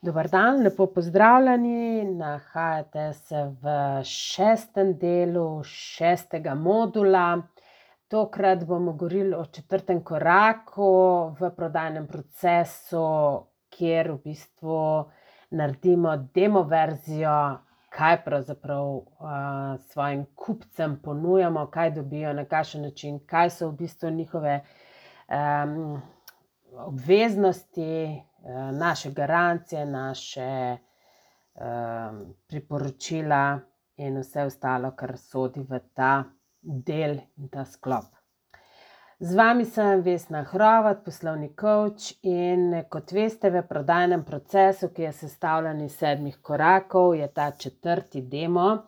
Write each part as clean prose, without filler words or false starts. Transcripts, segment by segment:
Dober dan, lepo pozdravljeni. Nahajate se v 6. delu 6. modula. Tokrat bomo govorili o 4. koraku v prodajnem procesu, kjer v bistvu naredimo demo verzijo, kaj pravzaprav svojim kupcem ponujamo, kaj dobijo, na kakšen način, kaj so v bistvu njihove obveznosti, naše garancije, naše priporočila in vse ostalo, kar sodi v ta del in ta sklop. Z vami sem Vesna Hrovat, poslovni coach, in kot veste, v prodajnem procesu, ki je sestavljen iz 7 korakov, je ta 4. demo,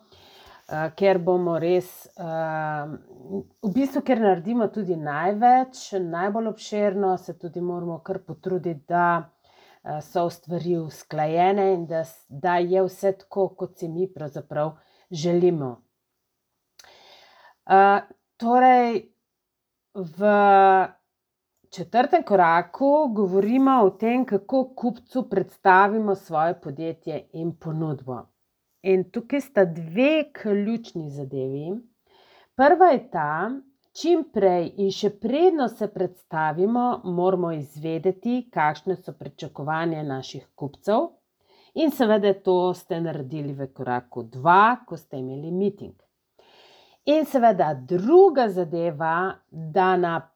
kjer bomo res, v bistvu, kjer naredimo tudi največ, najbolj obširno, se tudi moramo kar potruditi, da so stvari usklajene in da je vse tako, kot si mi pravzaprav želimo. Torej, v 4. koraku govorimo o tem, kako kupcu predstavimo svoje podjetje in ponudbo. In tukaj sta 2 ključni zadevi. Prva je ta, čim prej in še predno se predstavimo, moramo izvedeti, kakšne so pričakovanja naših kupcev, in seveda to ste naredili v koraku 2, ko ste imeli meeting. In seveda druga zadeva, da na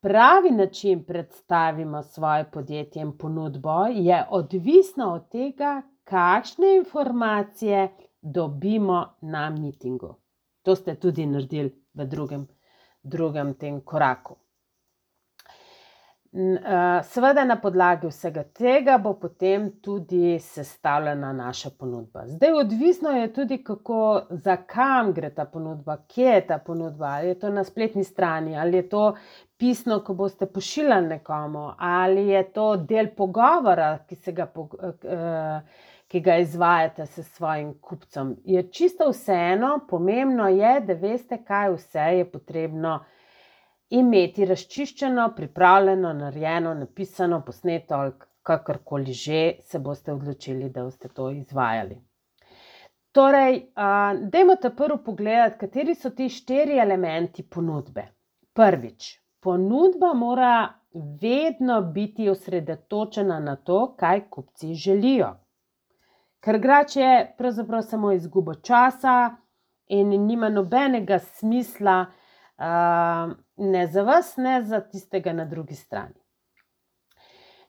pravi način predstavimo svoje podjetje in ponudbo, je odvisno od tega, kakšne informacije dobimo na meetingu. To ste tudi naredili v drugem tem koraku. Seveda na podlagi vsega tega bo potem tudi sestavljena naša ponudba. Zdaj, odvisno je tudi, za kam gre ta ponudba, kje je ta ponudba, ali je to na spletni strani, ali je to pisno, ko boste pošiljali nekomu, ali je to del pogovora, ki ga izvajate s svojim kupcem. Je čisto vseeno, pomembno je, da veste, kaj vse je potrebno imeti razčiščeno, pripravljeno, narejeno, napisano, posneto ali kakorkoli že se boste odločili, da boste to izvajali. Torej, dajmo prvo pogledati, kateri so ti 4 elementi ponudbe. Prvič, ponudba mora vedno biti osredotočena na to, kaj kupci želijo. Ker drugače je pravzaprav samo izguba časa in nima nobenega smisla, ne za vas, ne za tistega na drugi strani.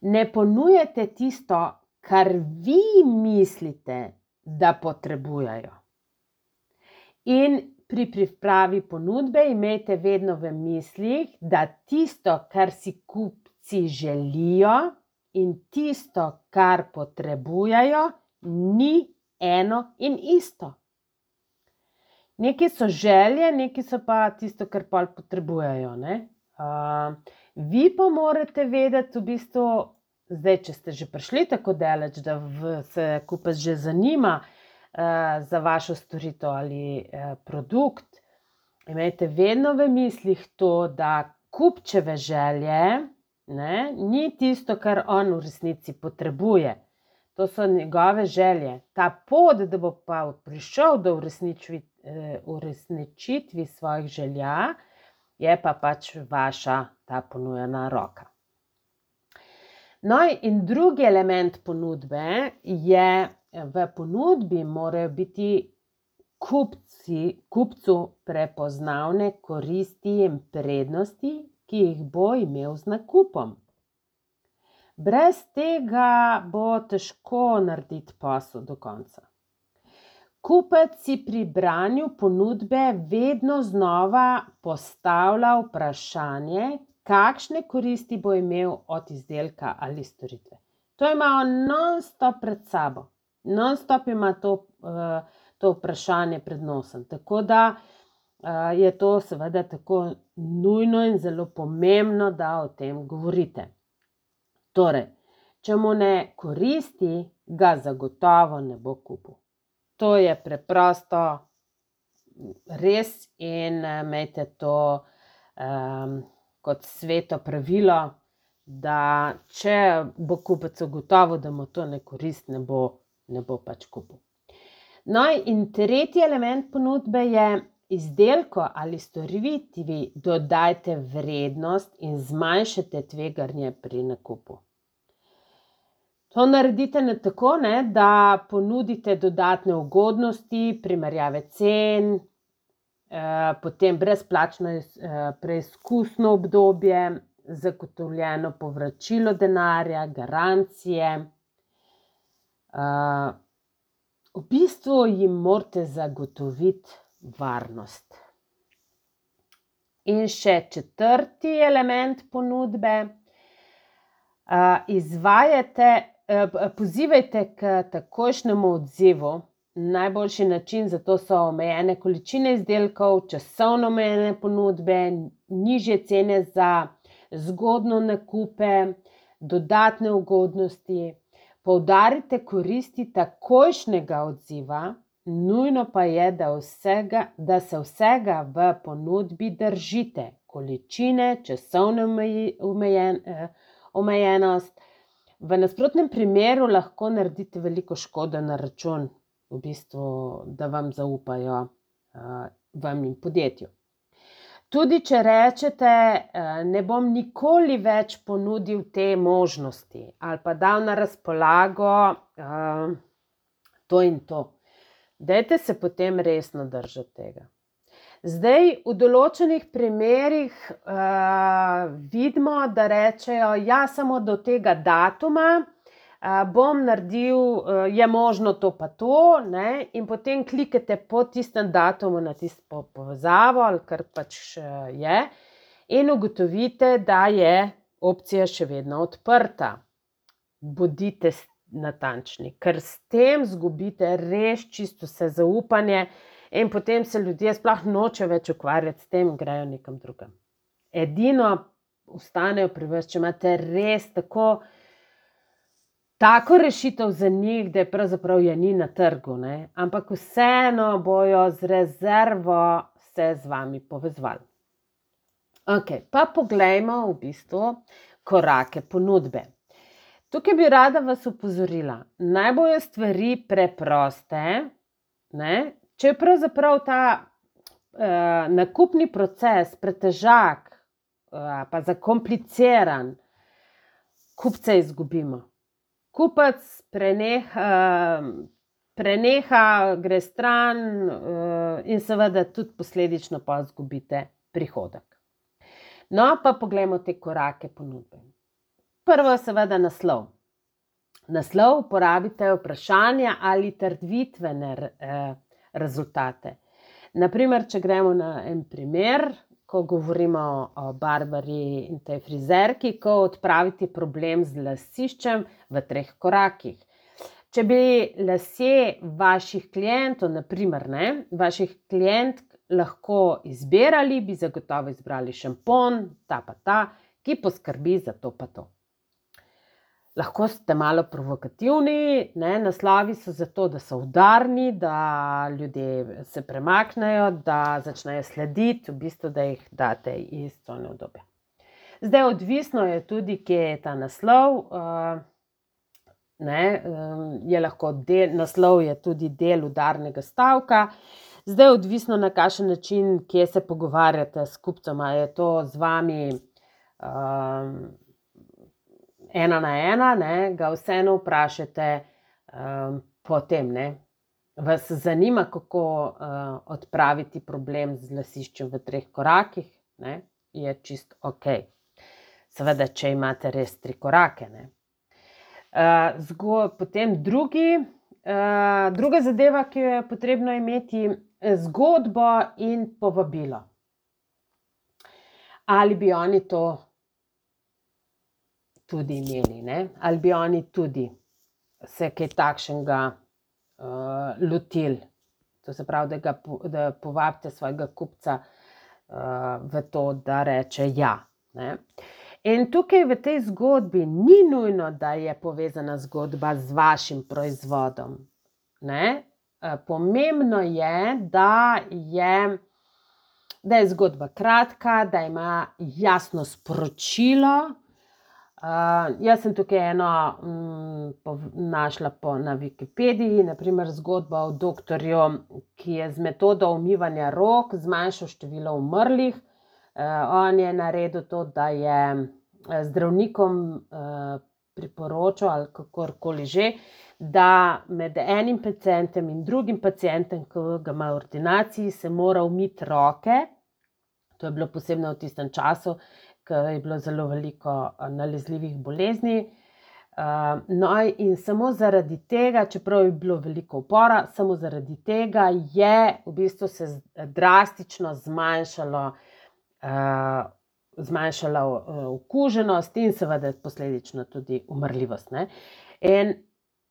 Ne ponujete tisto, kar vi mislite, da potrebujejo. In pri pripravi ponudbe imejte vedno v mislih, da tisto, kar si kupci želijo, in tisto, kar potrebujejo, ni eno in isto. Nekaj so želje, nekaj so pa tisto, kar pol potrebujejo, ne. Vi pa morate vedeti v bistvu, zdaj, če ste že prišli tako daleč, da se kupec že zanima za vašo storitev ali produkt, imejte vedno v mislih to, da kupčeve želje, ne, ni tisto, kar on v resnici potrebuje. To so njegove želje. Ta pot, da bo pa prišel do uresničitvi svojih želja, je pa pač vaša ta ponujena roka. No, in drugi element ponudbe je, v ponudbi morajo biti kupcu prepoznavne koristi in prednosti, ki jih bo imel z nakupom. Brez tega bo težko narediti posel do konca. Kupec si pri branju ponudbe vedno znova postavlja vprašanje, kakšne koristi bo imel od izdelka ali storitve. To ima on non-stop pred sabo. Non-stop ima to vprašanje pred nosom. Tako da je to seveda tako nujno in zelo pomembno, da o tem govorite. Torej, če mu ne koristi, ga zagotovo ne bo kupil. To je preprosto res in imejte to kot sveto pravilo, da če bo kupec ugotovil, da mu to ne koristi, ne bo pač kupil. No, in tretji element ponudbe je: izdelku ali storitvi dodajte vrednost in zmanjšate tveganje pri nakupu. To naredite tako, da ponudite dodatne ugodnosti, primerjave cen, potem brezplačno preizkusno obdobje, zagotovljeno povračilo denarja, garancije. V bistvu jim morate zagotoviti varnost. In še četrti element ponudbe: pozivajte k takojšnjemu odzivu. Najboljši način za to so omejene količine izdelkov, časovno omejene ponudbe, nižje cene za zgodnjo nakupe, dodatne ugodnosti. Poudarite koristi takojšnjega odziva, nujno pa je, da se vsega v ponudbi držite: količine, časovne omejenost. V nasprotnem primeru lahko naredite veliko škodo na račun, v bistvu, da vam zaupajo vam in podjetju. Tudi če rečete: ne bom nikoli več ponudil te možnosti ali pa dal na razpolago to in to, dajte se potem resno držati tega. Zdaj, v določenih primerih vidimo, da rečejo: ja, samo do tega datuma bom naredil, je možno to pa to, in potem klikate po tistem datumu na tisto povezavo ali kar pač je in ugotovite, da je opcija še vedno odprta. Bodite natančni, ker s tem izgubite res čisto vse zaupanje in potem se ljudje sploh nočejo več ukvarjati s tem, grejo nekam drugam. Edino ostanejo pri vas, če imate res tako rešitev za njih, da pravzaprav je ni na trgu, ampak vseeno bojo z rezervo se z vami povezovali. Okej, pa poglejmo v bistvu korake ponudbe. Tukaj bi rada vas opozorila: naj bojo stvari preproste, če je pravzaprav ta nakupni proces pretežak pa zakompliciran, kupce izgubimo. Kupec preneha, gre stran in seveda tudi posledično pa izgubite prihodek. No, pa poglejmo te korake ponudbe. Prvo je seveda naslov. Naslov uporabite vprašanja ali trditvene rezultate. Naprimer, če gremo na en primer, ko govorimo o Barbari in tej frizerki, ko odpraviti problem z lasiščem v 3 korakih. Če bi lasje vaših klientov, naprimer, vaših klientk lahko izbirali, bi zagotovo izbrali šampon, ta pa ta, ki poskrbi za to pa to. Lahko ste malo provokativni, naslovi so zato, da so udarni, da ljudje se premaknejo, da začnejo slediti, v bistvu, da jih date iz cone udobja. Zdaj, odvisno je tudi, kje je ta naslov. Naslov je tudi del udarnega stavka. Zdaj, odvisno na kakšen način, kje se pogovarjate s kupcem, ali je to z vami ena na ena, ga vseeno vprašate potem, vas zanima, kako odpraviti problem z lasiščem v 3 korakih, je čisto okej. Seveda, če imate res 3 korake, Potem druga zadeva, ki jo je potrebno imeti, zgodbo in povabilo. Ali bi oni to tudi imeli, ali bi oni tudi se kaj takšnega lotili. To se pravi, da povabite svojega kupca v to, da reče ja. In tukaj v tej zgodbi ni nujno, da je povezana zgodba z vašim proizvodom. Pomembno je, da je zgodba kratka, da ima jasno sporočilo, Jaz sem tukaj eno našla na Wikipediji, naprimer zgodba o doktorju, ki je z metodo umivanja rok zmanjšal število umrlih. On je naredil to, da je zdravnikom priporočal ali kakorkoli že, da med enim pacientom in drugim pacientom, ki ga ima v ordinaciji, se mora umiti roke. To je bilo posebno v tistem času, ker je bilo zelo veliko nalezljivih bolezni. No, in samo zaradi tega, čeprav je bilo veliko upora, samo zaradi tega je v bistvu se drastično zmanjšala okuženost in seveda posledično tudi umrljivost, ne. In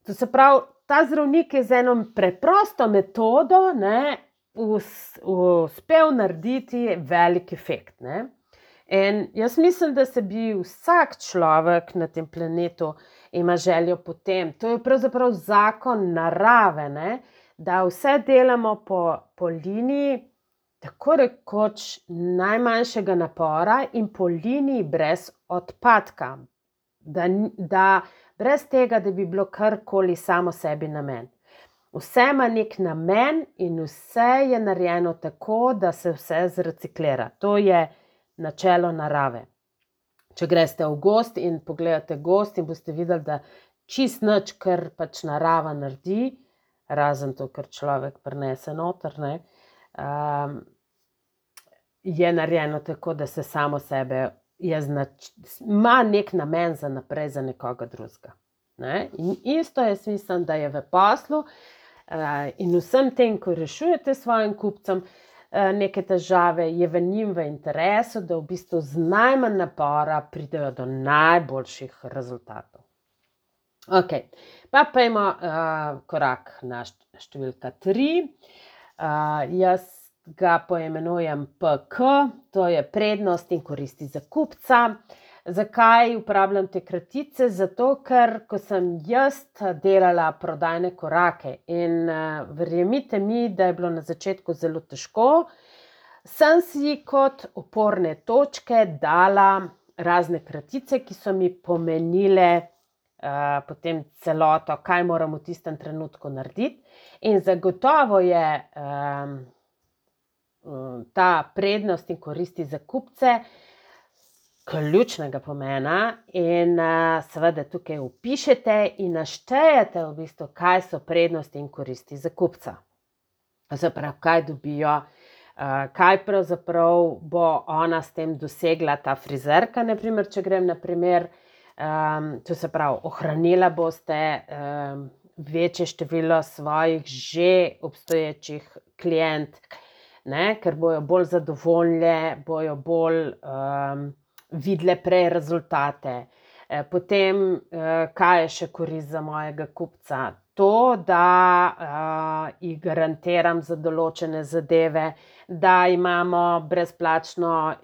to se pravi, ta zdravnik je z eno preprosto metodo, ne, uspel narediti velik efekt, ne. In jaz mislim, da se bi vsak človek na tem planetu ima željo po tem. To je pravzaprav zakon narave, ne, da vse delamo po liniji tako rekoč najmanjšega napora in po liniji brez odpadka. Da brez tega, da bi bilo karkoli samo sebi namen. Vse ima nek namen in vse je narejeno tako, da se vse zreciklira. To je načelo narave. Če greste v gozd in pogledate gozd in boste videli, da čist nič, kar pač narava naredi, razen to, kar človek prinese noter, ne, je narejeno tako, da se samo sebe ima nek namen za naprej za nekoga drugega. Ne? In isto jaz mislim, da je v poslu in vsem tem, ko rešujete svojim kupcem neke težave, je v njim v interesu, da v bistvu z najmanj napora pridejo do najboljših rezultatov. Ok, pa pojdimo korak na številka 3. Jaz ga poimenujem PK, to je prednost in koristi za kupca. Zakaj uporabljam te kratice? Zato, ker ko sem jaz delala prodajne korake in verjemite mi, da je bilo na začetku zelo težko, sem si kot oporne točke dala razne kratice, ki so mi pomenile potem celoto, kaj moram v tistem trenutku narediti. In zagotovo je ta prednost in koristi za kupce ključnega pomena in seveda tukaj vpišete in naštejete v bistvu, kaj so prednosti in koristi za kupca. Zaprav, kaj dobijo, kaj pravzaprav bo ona s tem dosegla, ta frizerka, naprimer, če grem na primer, to se pravi, ohranila boste večje število svojih že obstoječih klientk, ne, ker bojo bolj zadovoljne, bojo bolj videle prej rezultate. Potem, kaj je še korist za mojega kupca? To, da ji garantiram za določene zadeve, da imamo brezplačno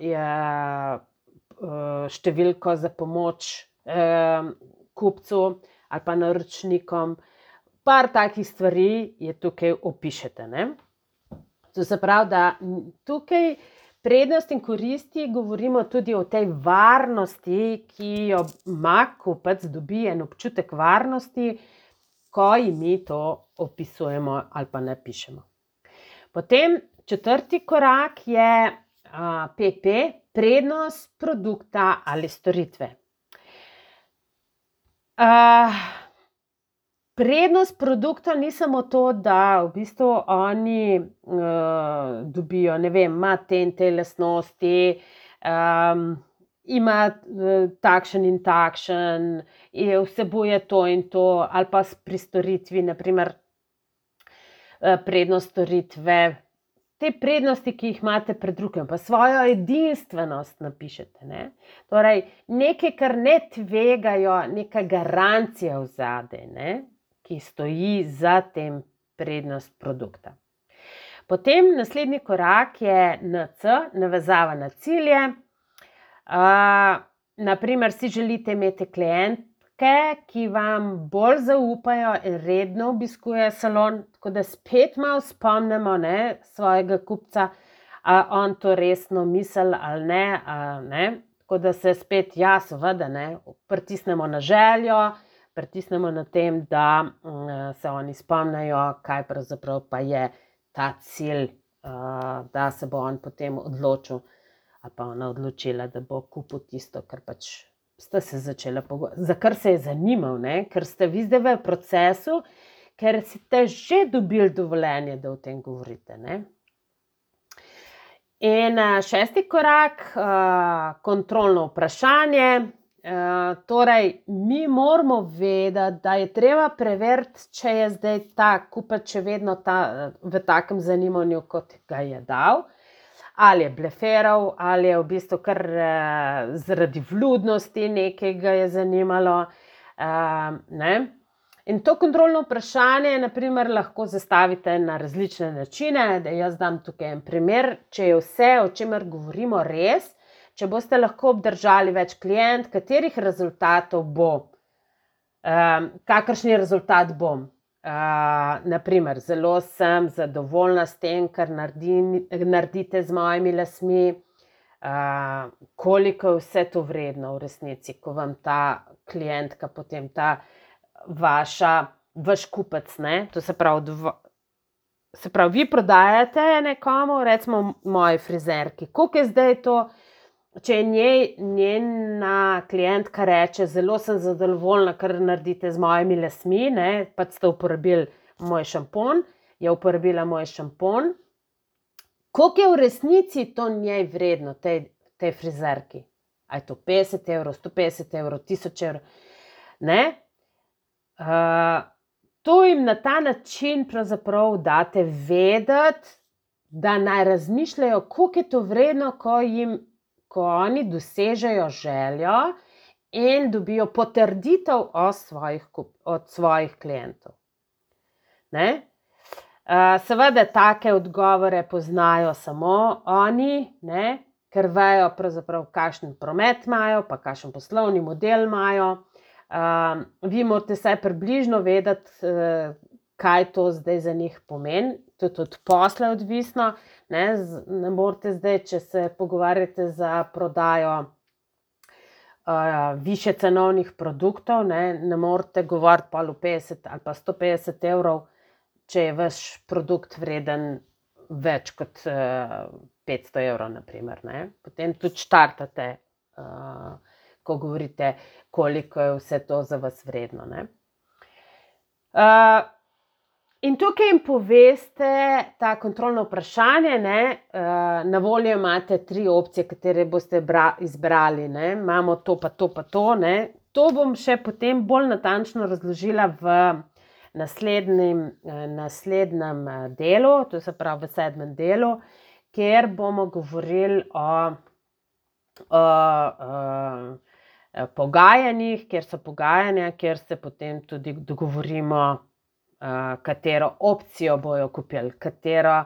številko za pomoč kupcu ali pa naročnikom. Par takih stvari je tukaj opišete, ne. To se pravi, da tukaj prednost in koristi govorimo tudi o tej varnosti, ki jo ima kupec, dobi en občutek varnosti, ko ji mi to opisujemo ali pa napišemo. Potem 4. korak je PP, prednost produkta ali storitve. Prednost produkta ni samo to, da v bistvu oni dobijo, ne vem, ima te in te lastnosti, ima takšen in takšen, vsebuje to in to, ali pa pri storitvi, naprimer, prednost storitve. Te prednosti, ki jih imate pred drugim, pa svojo edinstvenost napišete, ne. Torej, nekaj, kar ne tvegajo, neka garancija vzadej, ne, ki stoji za tem prednost produkta. Potem naslednji korak je NC, navezava na cilje. Naprimer, si želite imeti klientke, ki vam bolj zaupajo in redno obiskujejo salon, tako da spet malo spomnimo, ne, svojega kupca, on to resno misli ali ne, ne. Tako da se spet, ja, seveda, ne, pritisnemo na željo, pritisnemo na tem, da se oni spomnijo, kaj pravzaprav pa je ta cilj, da se bo on potem odločil ali pa ona odločila, da bo kupil tisto, kar pač sta se začela pogovarjati, za kar se je zanimal, ne? Ker ste vi zdaj v procesu, ker ste že dobili dovoljenje, da o tem govorite, ne? In 6. korak, kontrolno vprašanje. Torej, mi moramo vedeti, da je treba preveriti, če je zdaj ta kupec še vedno v takem zanimanju, kot ga je dal, ali je bleferal, ali je v bistvu kar zaradi vljudnosti nekaj ga je zanimalo. Ne? In to kontrolno vprašanje, na primer, lahko zastavite na različne načine. Da jaz dam tukaj en primer. Če je vse, o čemer govorimo, res, če boste lahko obdržali več klient, katerih rezultatov bo, kakršni rezultat bom. Naprimer, zelo sem zadovoljna s tem, kar naredite z mojimi lasmi, koliko je vse to vredno v resnici, ko vam ta klientka, potem ta vaš kupec, ne, to se pravi, vi prodajate nekomu, recimo moji frizerki, koliko je zdaj to, če njena klientka reče, zelo sem zadovoljna, kar naredite z mojimi lasmi, ne, pač ste uporabili moj šampon, je uporabila moj šampon, koliko je v resnici to njej vredno, tej frizerki? A je to 50 evrov, 150 evrov, 1000 evrov, ne? To jim na ta način pravzaprav date vedeti, da naj razmišljajo, koliko je to vredno, ko oni dosežejo željo in dobijo potrditev od svojih klientov. Ne? Seveda take odgovore poznajo samo oni, ne? Ker vejo pravzaprav, kakšen promet imajo, pa kakšen poslovni model imajo. Vi morate vsaj približno vedeti, kaj to zdaj za njih pomeni, tudi od posla odvisno, ne morate zdaj, če se pogovarjate za prodajo višje cenovnih produktov, ne morate govoriti pol o 50 ali pa 150 evrov, če je vaš produkt vreden več kot 500 evrov, na primer, ne. Potem tudi štartate, ko govorite, koliko je vse to za vas vredno, ne. In tukaj jim poveste ta kontrolno vprašanje, ne, na voljo imate 3 opcije, katere boste izbrali, ne. Imamo to pa to pa to, ne. To bom še potem bolj natančno razložila v naslednjem delu, to se pravi v 7. delu, kjer bomo govorili o pogajanjih, kjer so pogajanja, kjer se potem tudi dogovorimo, katero opcijo bojo kupili, katero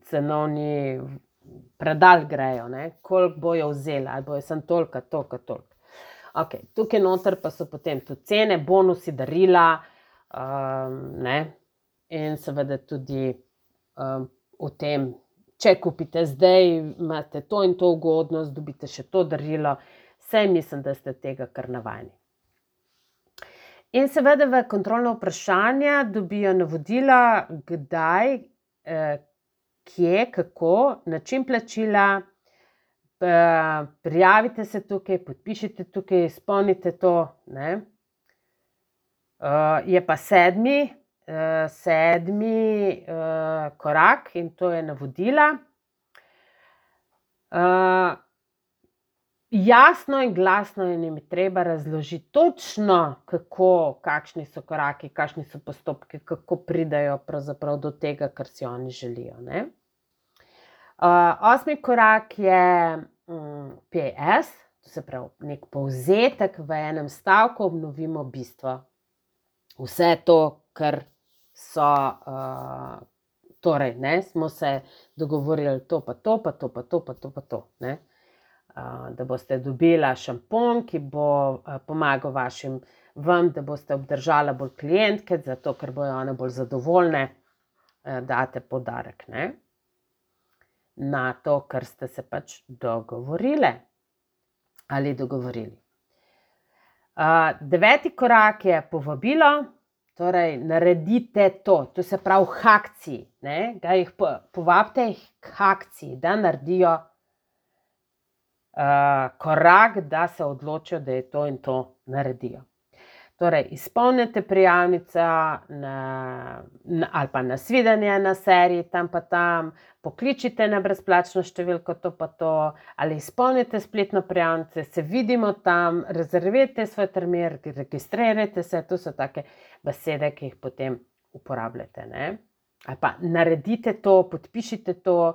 cenovni predal grejo, ne, koliko bojo vzeli, ali bojo samo toliko, toliko. Okej, tukaj noter pa so potem tudi cene, bonusi, darila, ne, in seveda tudi o tem, če kupite zdaj, imate to in to ugodnost, dobite še to darilo, saj mislim, da ste tega kar navajeni. In seveda v kontrolno vprašanje dobijo navodila, kdaj, kje, kako, način plačila, prijavite se tukaj, podpišite tukaj, izpolnite to, ne. Je pa 7. korak in to je navodila. Jasno in glasno jim je treba razložiti točno, kakšni so koraki, kakšni so postopki, kako pridejo pravzaprav do tega, kar si oni želijo, ne. 8. korak je PS, to se pravi nek povzetek v enem stavku, obnovimo bistvo. Vse to, kar so, torej, ne, smo se dogovorili to pa to, pa to pa to, pa to pa to, ne. Da boste dobila šampon, ki bo pomagal vam, da boste obdržala bolj klientke, zato ker bojo one bolj zadovoljne, date poudarek, ne. na to, kar ste se pač dogovorile ali dogovorili. 9. korak je povabilo, torej naredite to se pravi k akciji, da jih povabite jih k akciji, da naredijo korak, da se odločijo, da je to in to naredijo. Torej, izpolnite prijavnico ali pa nasvidenje na seriji tam pa tam, pokličite na brezplačno številko to pa to, ali izpolnite spletno prijavnico, se vidimo tam, rezervirajte svoj termin, registrirajte se, to so take besede, ki jih potem uporabljate, Ali pa naredite to, podpišite to,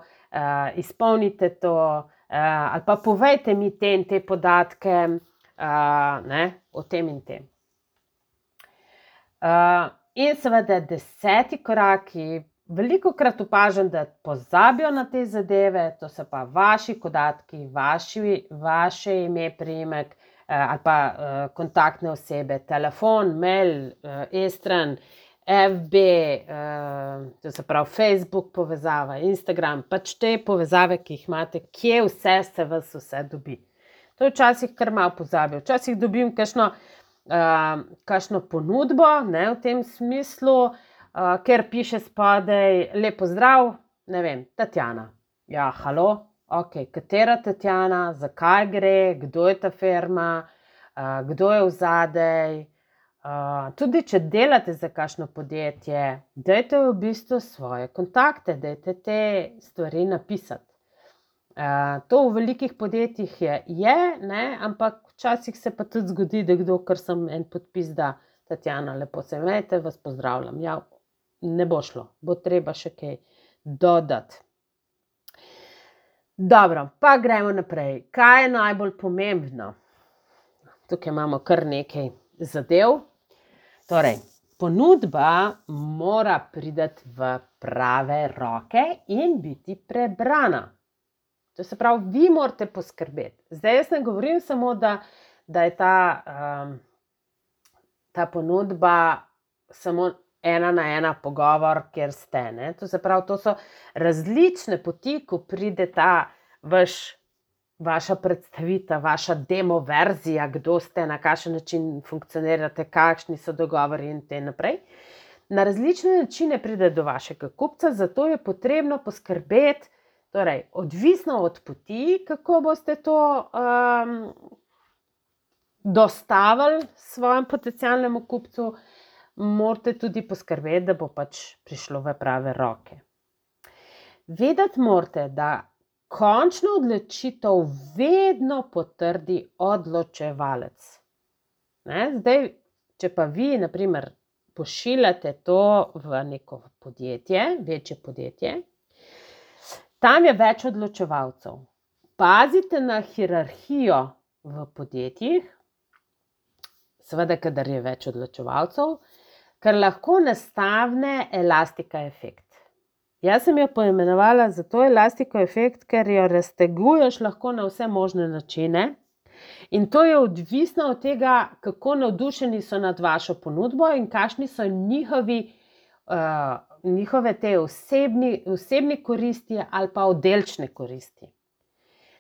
izpolnite to, ali pa povejte mi te in te podatke, o tem in tem. In seveda 10. korak, ki velikokrat opažam, da pozabijo na te zadeve, to so pa vaši podatki, vaše ime, priimek ali pa kontaktne osebe, telefon, mail, e-stran, FB, to se pravi Facebook povezava, Instagram, pač te povezave, ki jih imate, kje vse se vas vse dobi. To včasih kar malo pozabijo. Včasih dobim kakšno ponudbo, v tem smislu, ker piše spodaj lep pozdrav, ne vem, Tatjana. Ja, halo, okej, katera Tatjana, zakaj gre, kdo je ta firma, kdo je vzadej. Tudi če delate za kakšno podjetje, dajte v bistvu svoje kontakte, dajte te stvari napisati. To v velikih podjetjih je, ampak včasih se pa tudi zgodi, da kdo, kar sem en podpis da, Tatjana, lepo se imejte, vas pozdravljam. Ja, ne bo šlo, bo treba še kaj dodati. Dobro, pa gremo naprej. Kaj je najbolj pomembno? Tukaj imamo kar nekaj zadev. Torej, ponudba mora priti v prave roke in biti prebrana. To se pravi, vi morate poskrbeti. Zdaj jaz ne govorim samo, da je ta ponudba samo 1-na-1 pogovor, kjer ste. To se pravi, to so različne poti, ko pride ta vaša predstavitev, vaša demo verzija, kdo ste, na kakšen način funkcionirate, kakšni so dogovori in te naprej. Na različne načine pride do vašega kupca, zato je potrebno poskrbeti, torej, odvisno od poti, kako boste to dostavili svojemu potencialnemu kupcu, morate tudi poskrbeti, da bo pač prišlo v prave roke. Vedeti morate, da končno odločitev vedno potrdi odločevalec. Zdaj, če pa vi, na primer, pošiljate to v neko podjetje, večje podjetje, tam je več odločevalcev. Pazite na hierarhijo v podjetjih, seveda, kadar je več odločevalcev, ker lahko nastane elastika efekt. Jaz sem jo poimenovala zato elastiko efekt, ker jo razteguješ lahko na vse možne načine in to je odvisno od tega, kako navdušeni so nad vašo ponudbo in kakšni so njihove te osebni koristi ali pa oddelčne koristi.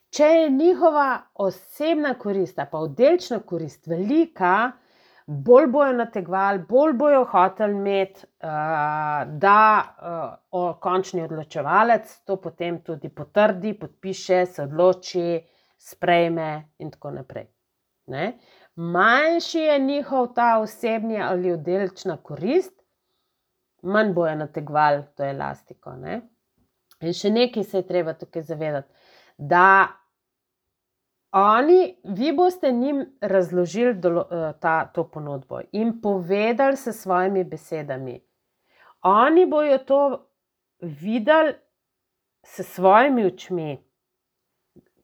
Če je njihova osebna korist ali pa oddelčna korist velika, bolj bojo nategovali, bolj bojo hoteli imeti, da končni odločevalec to potem tudi potrdi, podpiše, se odloči, sprejme in tako naprej. Manjši je njihov ta osebni ali oddelčna korist, manj bojo nategovali to elastiko. In še nekaj se je treba tukaj zavedati, da vi boste njim razložili to ponudbo in povedali s svojimi besedami. Oni bojo to videli s svojimi očmi.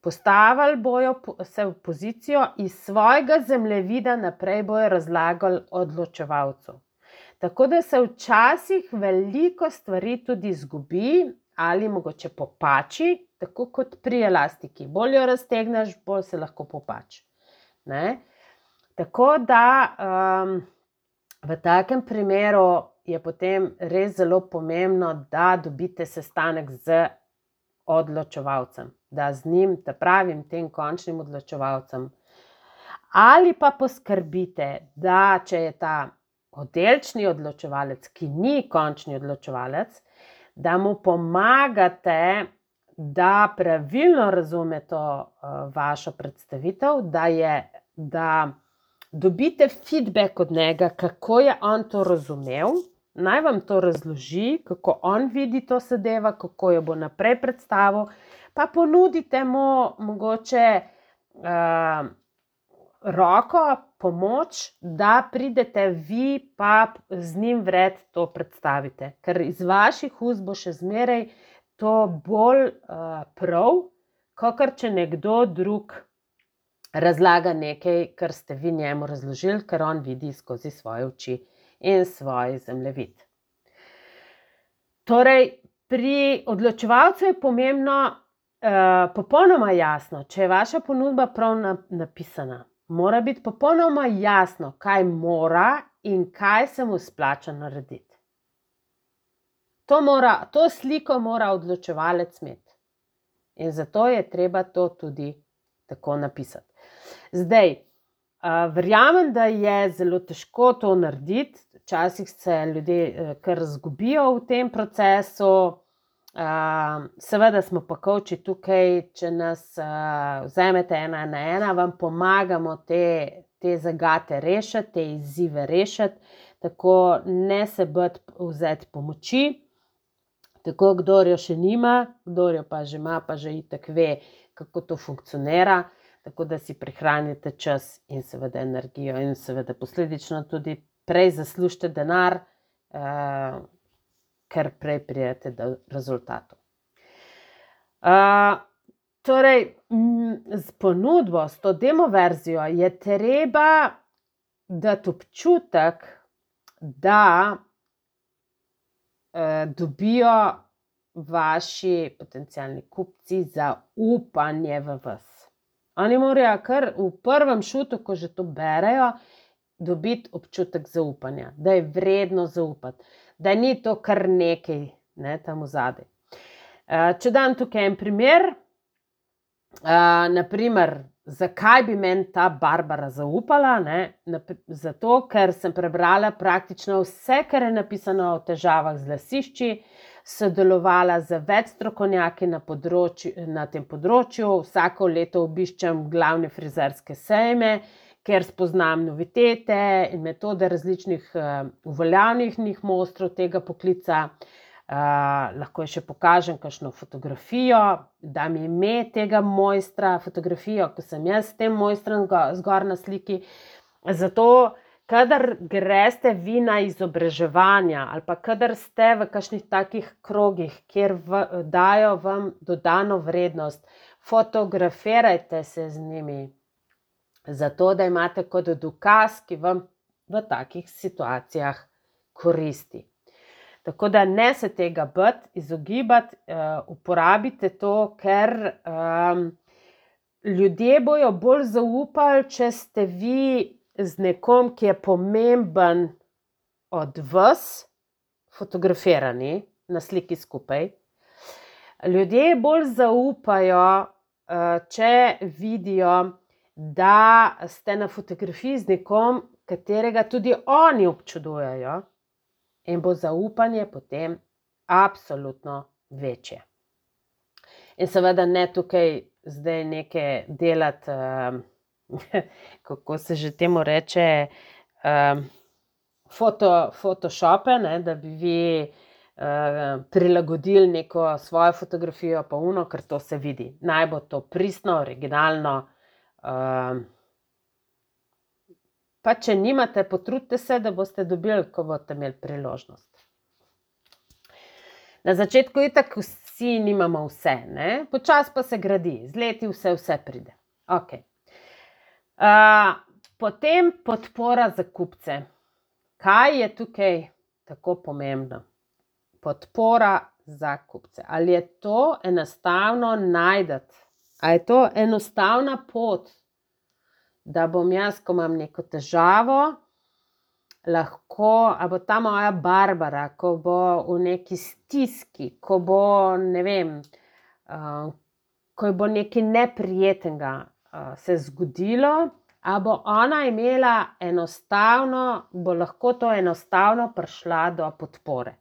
Postavili bojo se v pozicijo iz svojega zemljevida naprej bojo razlagali odločevalcu. Tako da se včasih veliko stvari tudi izgubi ali mogoče popači, tako kot pri elastiki. Bolj jo raztegneš, bolj se lahko popači. Tako da v takem primeru je potem res zelo pomembno, da dobite sestanek z odločevalcem, da z njim, ta pravim, tem končnim odločevalcem. Ali pa poskrbite, da če je ta oddelčni odločevalec, ki ni končni odločevalec, da mu pomagate, da pravilno razume to vašo predstavitev, da dobite feedback od njega, kako je on to razumel, naj vam to razloži, kako on vidi to zadevo, kako jo bo naprej predstavil, pa ponudite mu mogoče roko, pomoč, da pridete vi pa z njim vred to predstavite. Ker iz vaših ust bo še zmeraj to bolj prav, kakor če nekdo drug razlaga nekaj, kar ste vi njemu razložili, ker on vidi skozi svoje oči in svoj zemljevid. Torej, pri odločevalcu je pomembno popolnoma jasno, če je vaša ponudba prav napisana. Mora biti popolnoma jasno, kaj mora in kaj se mu splača narediti. To sliko mora odločevalec imeti. In zato je treba to tudi tako napisati. Zdaj, verjamem, da je zelo težko to narediti. Včasih se ljudje kar izgubijo v tem procesu. Seveda smo pa coachi tukaj, če nas vzamete 1 na 1, vam pomagamo te zagate rešiti, te izzive rešiti, tako ne se bati vzeti pomoči, tako kdor jo še nima, kdor jo pa že ima, pa že itak ve, kako to funkcionira, tako da si prihranite čas in seveda energijo in seveda posledično tudi prej zaslužite denar, ker prej pridete do rezultatov. Torej, z ponudbo, s to demo verzijo je treba dati občutek, da dobijo vaši potencialni kupci zaupanje v vas. Oni morajo kar v prvem šutu, ko že to berejo, dobiti občutek zaupanja, da je vredno zaupati. Da ni to kar nekaj, tam vzadaj. Če dam tukaj en primer, naprimer, zakaj bi meni ta Barbara zaupala, zato, ker sem prebrala praktično vse, kar je napisano o težavah z lasišči, sodelovala z več strokovnjaki na tem področju, vsako leto obiščem glavne frizerske sejme, ker spoznam novitete in metode različnih uveljavljenih mojstrov tega poklica. Lahko še pokažem kakšno fotografijo, dam ime tega mojstra, fotografijo, ko sem jaz s tem mojstrom zgor na sliki. Zato, kadar greste vi na izobraževanja ali pa kadar ste v kakšnih takih krogih, kjer dajo vam dodano vrednost, fotografirajte se z njimi. Zato, da imate kot dokaz, ki vam v takih situacijah koristi. Tako da ne se tega bati, izogibati, uporabite to, ker ljudje bojo bolj zaupali, če ste vi z nekom, ki je pomemben od vas, fotografirani na sliki skupaj. Ljudje bolj zaupajo, če vidijo, da ste na fotografiji z nekom, katerega tudi oni občudujejo, in bo zaupanje potem absolutno večje. In seveda ne tukaj zdaj nekaj delati, kako se že temu reče, photoshope, da bi vi prilagodili neko svojo fotografijo pa ono, ker to se vidi. Naj bo to pristno, originalno. Pa če nimate, potrudite se, da boste dobili, ko boste imeli priložnost. Na začetku itak vsi nimamo vse, počasi pa se gradi, z leti vse pride. Potem podpora za kupce. Kaj je tukaj tako pomembno? Podpora za kupce. Ali je to enostavno najti? Ali je to enostavna pot, da bom jaz, ko imam neko težavo, lahko, ali bo ta moja Barbara, ko bo v neki stiski, ko bo, ne vem, ko bo nekaj neprijetnega se zgodilo, a bo ona imela bo lahko to enostavno prišla do podpore.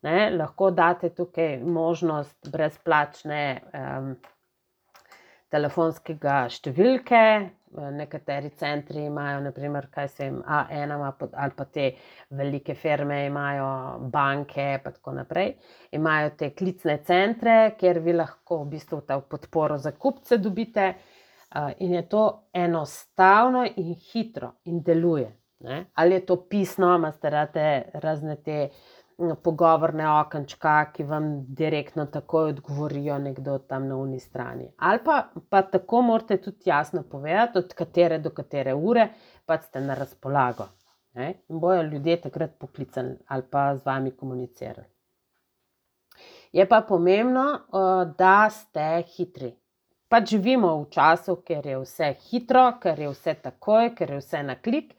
Ne, lahko date tukaj možnost brezplačne telefonskega številke, nekateri centri imajo, naprimer, A1 ali pa te velike firme imajo, banke pa tako naprej, imajo te klicne centre, kjer vi lahko v bistvu ta podporo za kupce dobite, in je to enostavno in hitro in deluje. Ne? Ali je to pisno, imate rade razne te pogovorne okenčka, ki vam direktno takoj odgovorijo nekdo tam na uni strani. Ali pa tako morate tudi jasno povedati, od katere do katere ure pa ste na razpolago. Ne? In bojo ljudje takrat poklicali ali pa z vami komunicirali. Je pa pomembno, da ste hitri. Pač živimo v času, ker je vse hitro, ker je vse takoj, ker je vse na klik.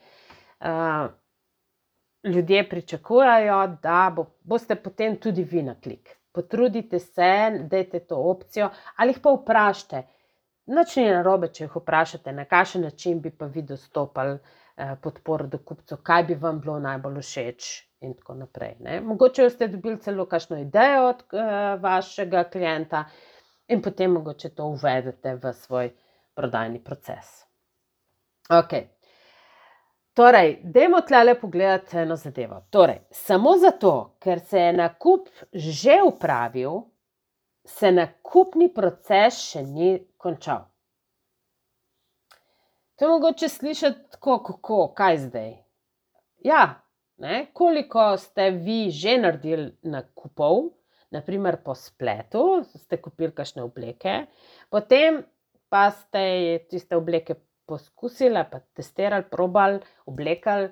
Ljudje pričakujejo, da boste potem tudi vi na klik. Potrudite se, dajte to opcijo, ali jih pa vprašajte. Nič ni narobe, če jih vprašate, na kakšen način bi pa vi dostopali podporo do kupcev, kaj bi vam bilo najbolj všeč in tako naprej. Ne? Mogoče ste dobili celo kakšno idejo od vašega klienta in potem mogoče to uvedete v svoj prodajni proces. Ok. Torej, dajmo tlele pogledati eno zadevo. Torej, samo zato, ker se je nakup že opravil, se nakupni proces še ni končal. To je mogoče slišati tako, kako, kaj zdaj? Ja, ne, koliko ste vi že naredili nakupov, naprimer po spletu, ste kupili kakšne obleke, potem pa ste tiste obleke poskusili, pa testirali, probali, oblekali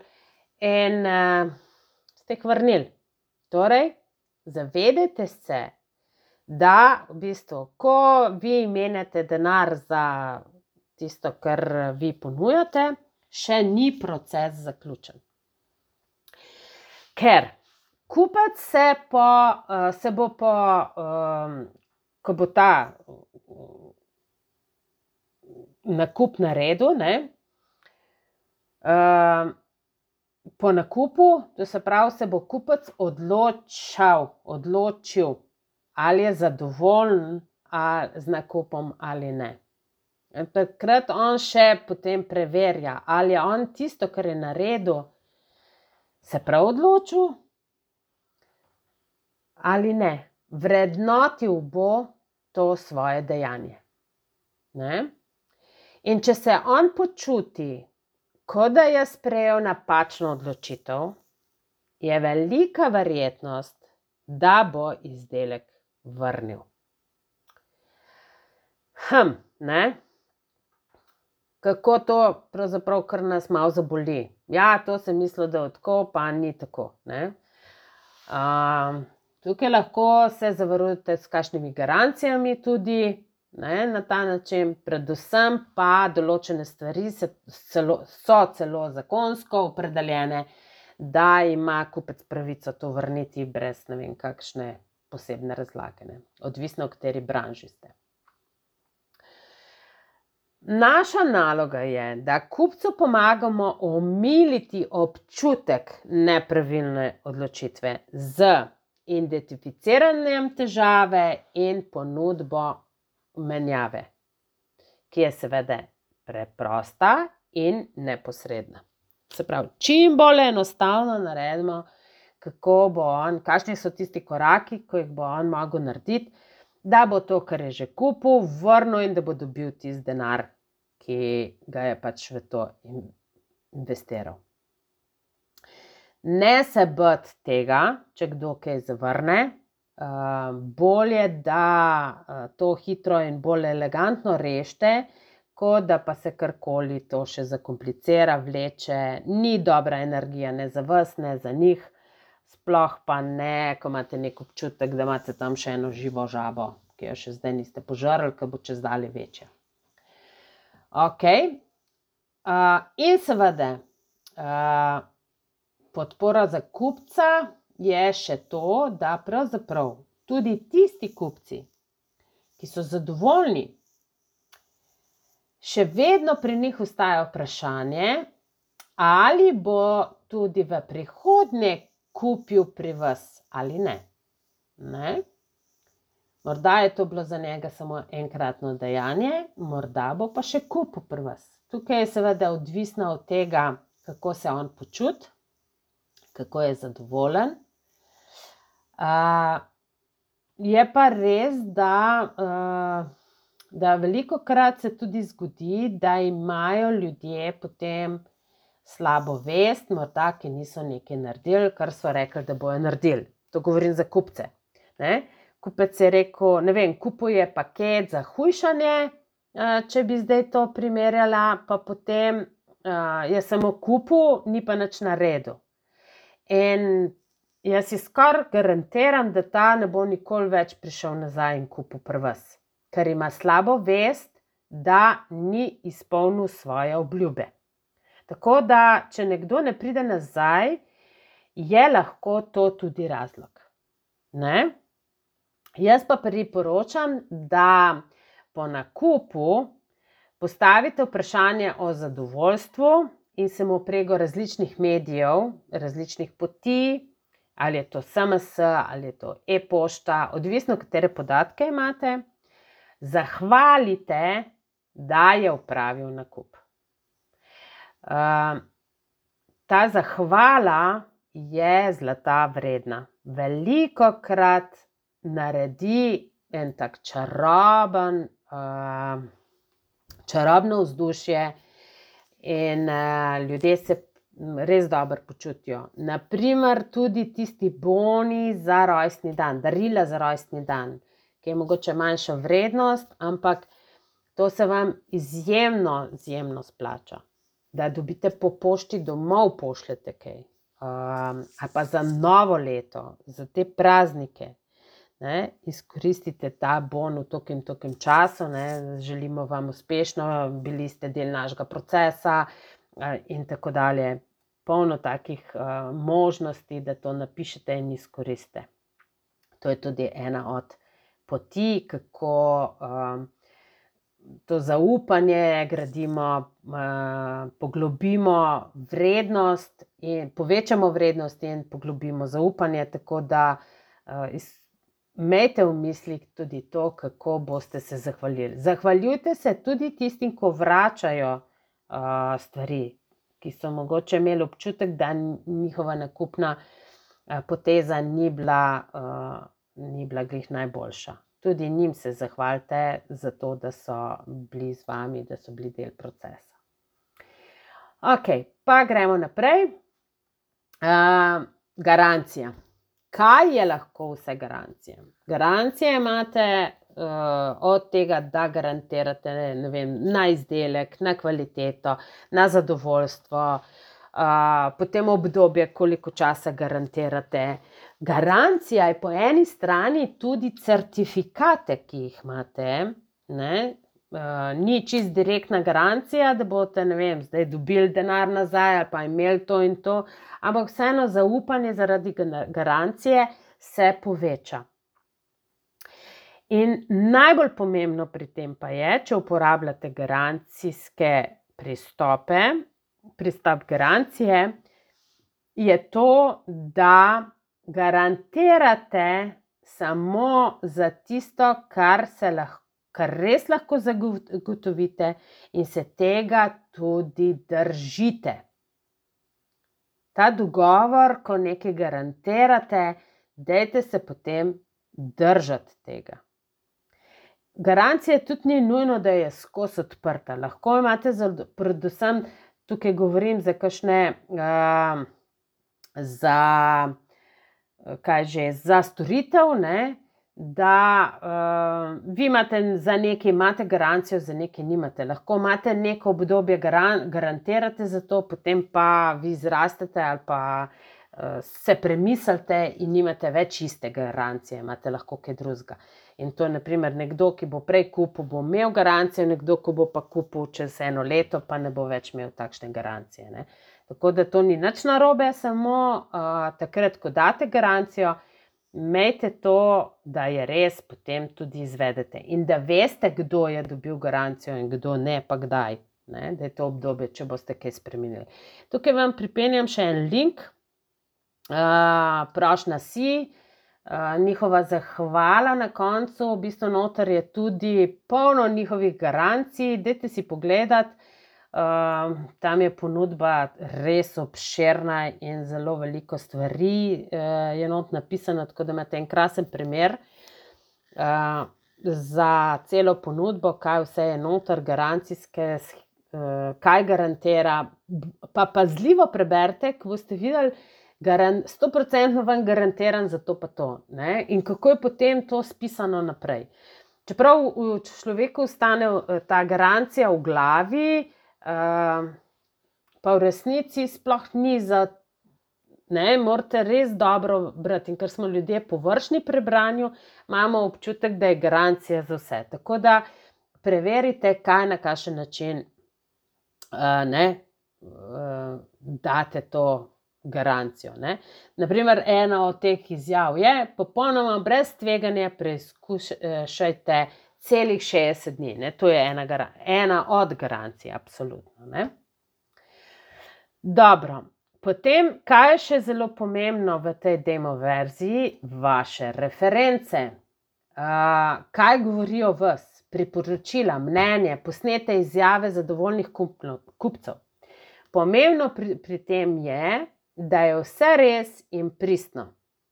in ste jih vrnili. Torej, zavedajte se, da v bistvu, ko vi menjate denar za tisto, kar vi ponujate, še ni proces zaključen. Ker kupec se bo ko bo ta nakup naredil, ne, po nakupu, to se pravi, se bo kupec odločil, ali je zadovoljen z nakupom ali ne. Takrat on še potem preverja, ali je on tisto, kar je naredil, se prav odločil ali ne. Vrednotil bo to svoje dejanje. Ne? In če se on počuti, kot da je sprejel napačno odločitev, je velika verjetnost, da bo izdelek vrnil. Ne? Kako to pravzaprav kar nas malo zaboli? Ja, to sem mislil, da je tako, pa ni tako. Ne? Tukaj lahko se zavarujete s kakšnimi garancijami tudi, ne, na ta način, predvsem pa določene stvari so celo zakonsko opredeljene, da ima kupec pravico to vrniti brez ne vem kakšne posebne razlage, ne. Odvisno, v kateri branži ste. Naša naloga je, da kupcu pomagamo omiliti občutek nepravilne odločitve z identificiranjem težave in ponudbo menjave, ki je seveda preprosta in neposredna. Se pravi, čim bolj enostavno naredimo, kakšni so tisti koraki, ko jih bo on mogel narediti, da bo to, kar je že kupil, vrnil in da bo dobil tisti denar, ki ga je pač v to investiral. Ne se bati tega, če kdo kaj zavrne. Bolje, da to hitro in bolj elegantno rešite, kot da pa se karkoli to še zakomplicira, vleče, ni dobra energija ne za vas, ne za njih, sploh pa ne, ko imate nek občutek, da imate tam še eno živo žabo, ki jo še zdaj niste požrli, ki bo čez dalje večja. Ok. In seveda, podpora za kupca je še to, da pravzaprav tudi tisti kupci, ki so zadovoljni, še vedno pri njih ostaja vprašanje, ali bo tudi v prihodnje kupil pri vas ali ne. Morda je to bilo za njega samo enkratno dejanje, morda bo pa še kupil pri vas. Tukaj je seveda odvisno od tega, kako se on počuti, kako je zadovoljen. Je pa res, da velikokrat se tudi zgodi, da imajo ljudje potem slabo vest, morda, ki niso nekaj naredili, kar so rekli, da bojo naredili. To govorim za kupce. Kupec je rekel, ne vem, kupil je paket za hujšanje, če bi zdaj to primerjala, pa potem je samo kupil, ni pa nič naredil. In jaz si skoraj garantiram, da ta ne bo nikoli več prišel nazaj in kupil pri vas, ker ima slabo vest, da ni izpolnil svoje obljube. Tako da, če nekdo ne pride nazaj, je lahko to tudi razlog. Jaz pa priporočam, da po nakupu postavite vprašanje o zadovoljstvu in se mu preko različnih medijev, različnih poti, ali je to SMS, ali je to e-pošta, odvisno, katere podatke imate, zahvalite, da je opravil nakup. Ta zahvala je zlata vredna. Velikokrat naredi en tak čarobno vzdušje in ljudje se res dobro počutijo. Naprimer, tudi tisti boni za rojstni dan, darila za rojstni dan, ki je mogoče manjša vrednost, ampak to se vam izjemno splača. Da dobite po pošti domov, pošljete kaj. Ali pa za novo leto, za te praznike. Izkoristite ta bon v tokem času, želimo vam uspešno, bili ste del našega procesa in tako dalje. Polno takih možnosti, da to napišete in izkoristite. To je tudi ena od poti, kako to zaupanje gradimo, poglobimo vrednost in povečamo vrednost in poglobimo zaupanje, tako da imejte v mislih tudi to, kako boste se zahvalili. Zahvaljujte se tudi tistim, ko vračajo stvari, ki so mogoče imeli občutek, da njihova nakupna poteza ni bila glih najboljša. Tudi njim se zahvalite za to, da so bili z vami, da so bili del procesa. Ok, pa gremo naprej. Garancija. Kaj je lahko vse garancije? Garancije imate od tega, da garantirate, ne vem, na izdelek, na kvaliteto, na zadovoljstvo, potem obdobje, koliko časa garantirate. Garancija je po eni strani tudi certifikate, ki jih imate, ni čist direktna garancija, da boste, ne vem, zdaj dobili denar nazaj ali pa imeli to in to, ampak vseeno zaupanje zaradi garancije se poveča. In najbolj pomembno pri tem pa je, če uporabljate garancijske pristope, pristop garancije, je to, da garantirate samo za tisto, kar res lahko zagotovite in se tega tudi držite. Ta dogovor, ko nekaj garantirate, dajte se potem držati tega. Garancija tudi ni nujno, da je skozi odprta. Lahko imate, predvsem tukaj govorim za kakšne, za storitev, da vi imate za nekaj imate garancijo, za nekaj nimate. Lahko imate neko obdobje, garantirate za to, potem pa vi zrastete ali pa se premislite in nimate več iste garancije, imate lahko kaj drugega. In to je naprimer nekdo, ki bo prej kupil, bo imel garancijo, nekdo, ki bo pa kupil čez 1 leto, pa ne bo več imel takšne garancije. Tako da to ni nič narobe, samo takrat, ko date garancijo, imejte to, da je res, potem tudi izvedete in da veste, kdo je dobil garancijo in kdo ne, pa kdaj, ne? Da je to obdobje, če boste kaj spremenili. Tukaj vam pripenjam še en link, prošnja si, njihova zahvala na koncu, v bistvu noter je tudi polno njihovih garancij, dajte si pogledati, tam je ponudba res obširna in zelo veliko stvari je not napisano, tako da imate en krasen primer za celo ponudbo, kaj vse je noter, garancijske, kaj garantira, pa pazljivo preberite, ko boste videli, 100% vam garantiran za to pa to, ne? In kako je potem to spisano naprej. Čeprav človeku ostane ta garancija v glavi, pa v resnici sploh ni za, ne, morate res dobro brati, in ker smo ljudje površni pri branju, imamo občutek, da je garancija za vse. Tako da preverite, kaj na kakšen način date to garancijo, ne. Naprimer, ena od teh izjav je, popolnoma brez tveganja preizkušajte celih 60 dni, ne, to je ena od garancij, absolutno, ne. Dobro, potem, kaj je še zelo pomembno v tej demo verziji? Vaše reference. Kaj govorijo vas? Priporočila, mnenje, posnete izjave zadovoljnih kupcev. Pomembno pri tem je, da je vse res in pristno,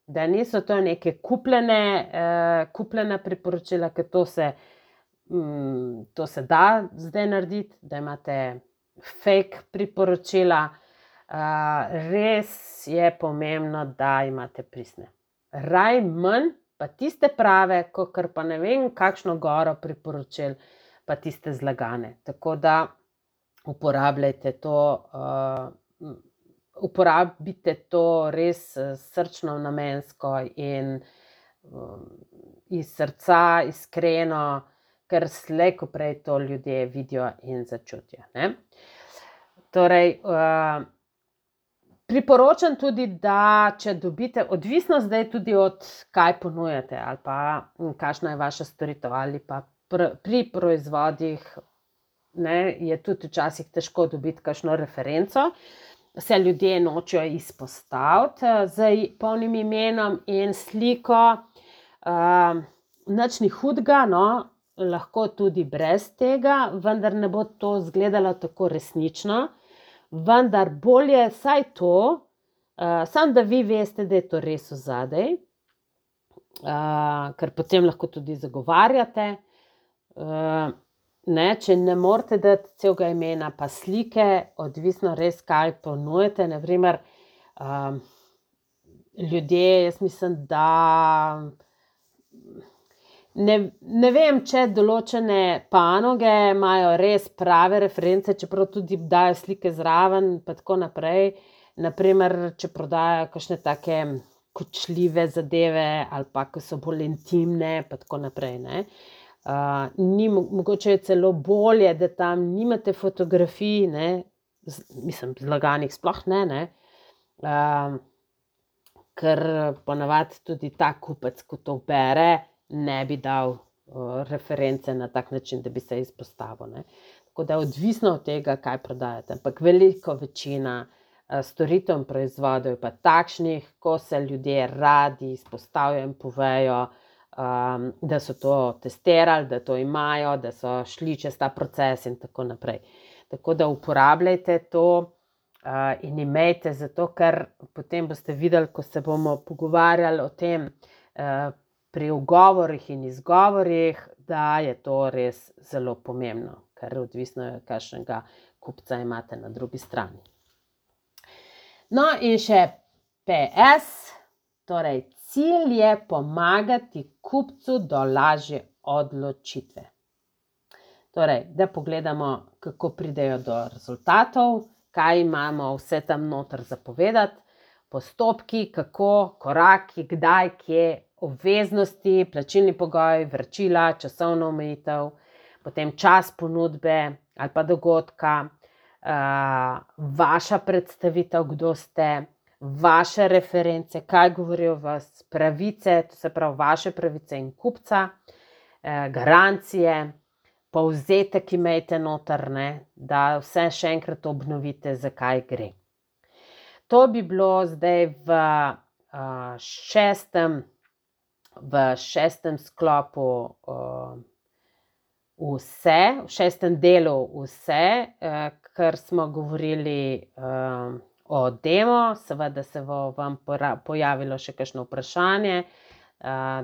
da niso to neke kupljena priporočila, ker to se da zdaj narediti, da imate fake priporočila. Res je pomembno, da imate pristne. Raj manj, pa tiste prave, kakor pa ne vem, kakšno goro priporočil, pa tiste zlagane. Tako da uporabljajte to, uporabite to res srčno, namensko in iz srca, iskreno, ker slej ko prej to ljudje vidijo in začutijo, ne. Torej, priporočam tudi, da če dobite, odvisno zdaj tudi od kaj ponujate ali pa kakšna je vaša storitev ali pa pri proizvodih, ne, je tudi včasih težko dobiti kakšno referenco, se ljudje nočejo izpostaviti z polnim imenom in sliko, nič ni hudega, no, lahko tudi brez tega, vendar ne bo to izgledalo tako resnično, vendar bolje saj to, samo da vi veste, da je to res odzadaj, ker potem lahko tudi zagovarjate, ne, če ne morete dati celega imena pa slike, odvisno res, kaj ponujate, na primer, ljudje, jaz mislim, da ne vem, če določene panoge imajo res prave reference, čeprav tudi dajo slike zraven pa tako naprej, na primer, če prodajajo kakšne take kočljive zadeve ali pa, ko so bolj intimne pa tako naprej, ne. Mogoče je celo bolje, da tam nimate fotografij, ne, mislim, zlaganih sploh ne, ker ponavadi tudi ta kupec, ko to bere, ne bi dal reference na tak način, da bi se izpostavil, ne. Tako da odvisno od tega, kaj prodajate, ampak veliko večina storitev in proizvodov je pa takšnih, ko se ljudje radi izpostavijo in povejo, da so to testirali, da to imajo, da so šli čez ta proces in tako naprej. Tako da uporabljajte to in imejte, zato ker potem boste videli, ko se bomo pogovarjali o tem pri ugovorih in izgovorih, da je to res zelo pomembno, ker odvisno je, kakšnega kupca imate na drugi strani. No, in še PS, torej cilj je pomagati kupcu do lažje odločitve. Torej, da pogledamo, kako pridejo do rezultatov, kaj imamo vse tam noter za povedati, postopki, kako, koraki, kdaj, kje, obveznosti, plačilni pogoji, vračila, časovna omejitev, potem čas ponudbe ali pa dogodka, vaša predstavitev, kdo ste, vaše reference, kaj govorijo vas, pravice, to se pravi vaše pravice in kupca, garancije, povzetek imejte noter, da vse še enkrat obnovite, zakaj gre. To bi bilo zdaj v šestem sklopu vse, v šestem delu vse, ker smo govorili o demo. Seveda se bo vam pojavilo še kakšno vprašanje.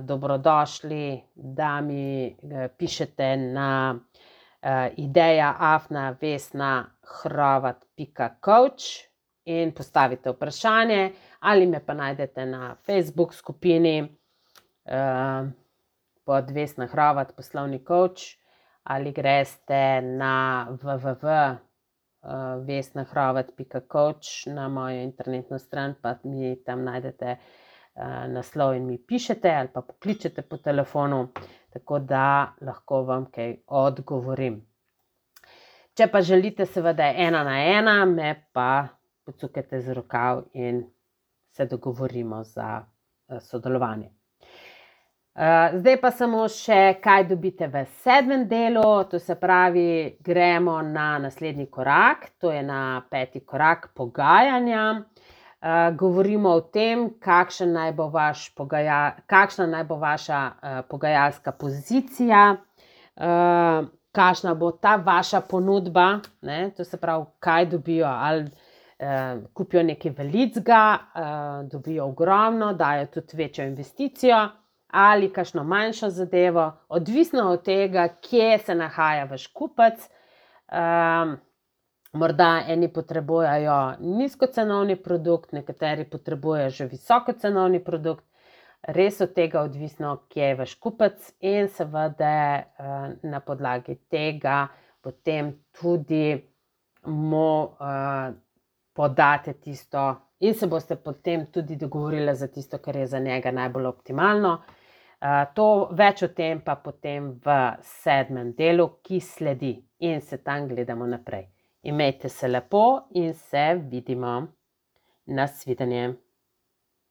Dobrodošli, da mi pišete na ideja@vesnahrovat.coach in postavite vprašanje, ali me pa najdete na Facebook skupini pod Vesna Hrovat poslovni coach, ali greste na www.vesnahrovat.coach na mojo internetno stran, pa mi tam najdete naslov in mi pišete ali pa pokličete po telefonu, tako da lahko vam kaj odgovorim. Če pa želite seveda 1 na 1, me pa pocukajte z rokav in se dogovorimo za sodelovanje. Zdaj pa samo še, kaj dobite v 7. delu, to se pravi, gremo na naslednji korak, to je na 5. korak pogajanja. Govorimo o tem, kakšna naj bo vaša pogajalska pozicija, kakšna bo ta vaša ponudba, to se pravi, kaj dobijo, ali kupijo nekaj velikega, dobijo ogromno, dajo tudi večjo investicijo, ali kakšno manjšo zadevo, odvisno od tega, kje se nahaja vaš kupec. Morda eni potrebujejo nizkocenovni produkt, nekateri potrebujejo že visokocenovni produkt, res od tega odvisno, kje je vaš kupec, in seveda na podlagi tega potem tudi mu podate tisto in se boste potem tudi dogovorili za tisto, kar je za njega najbolj optimalno. Več o tem pa potem v 7. delu, ki sledi, in se tam gledamo naprej. Imejte se lepo in se vidimo. Nasvidenje.